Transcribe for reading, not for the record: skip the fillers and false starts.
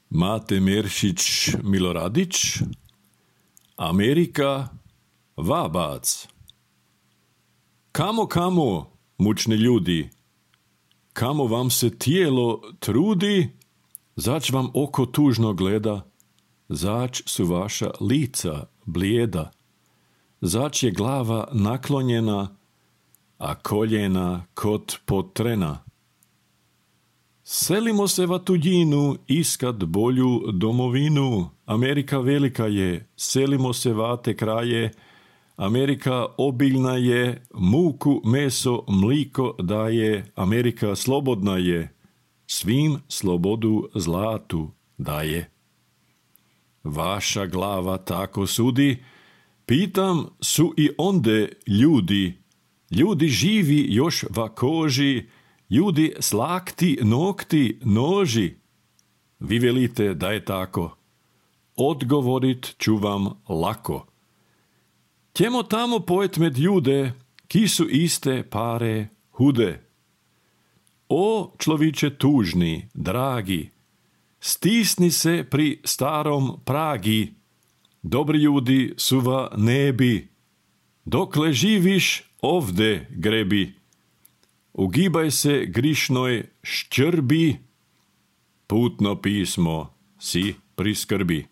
Mate Meršić Miloradić, Amerika, Vabac. Kamo, mučni ljudi, kamo vam se tijelo trudi, zać vam oko tužno gleda, zać su vaša lica blijeda, zać je glava naklonjena, a koljena kot potrena. Selimo se va tuđinu, iskat bolju domovinu. Amerika velika je, selimo se va te kraje. Amerika obiljna je, muku, meso, mliko daje. Amerika slobodna je, svim slobodu zlatu daje. Vaša glava tako sudi, pitam su i onde ljudi. Ljudi živi još va koži, ljudi s lakti, nokti, noži. Vi velite da je tako. Odgovorit ću vam lako. Ćemo tamo pojet med ljude, ki su iste pare hude. O, človiče tužni, dragi, stisni se pri starom Pragi. Dobri ljudi su va nebi. Dokle živiš, ovde grebi. Ugibaj se grišnoj ščrbi, putno pismo si priskrbi.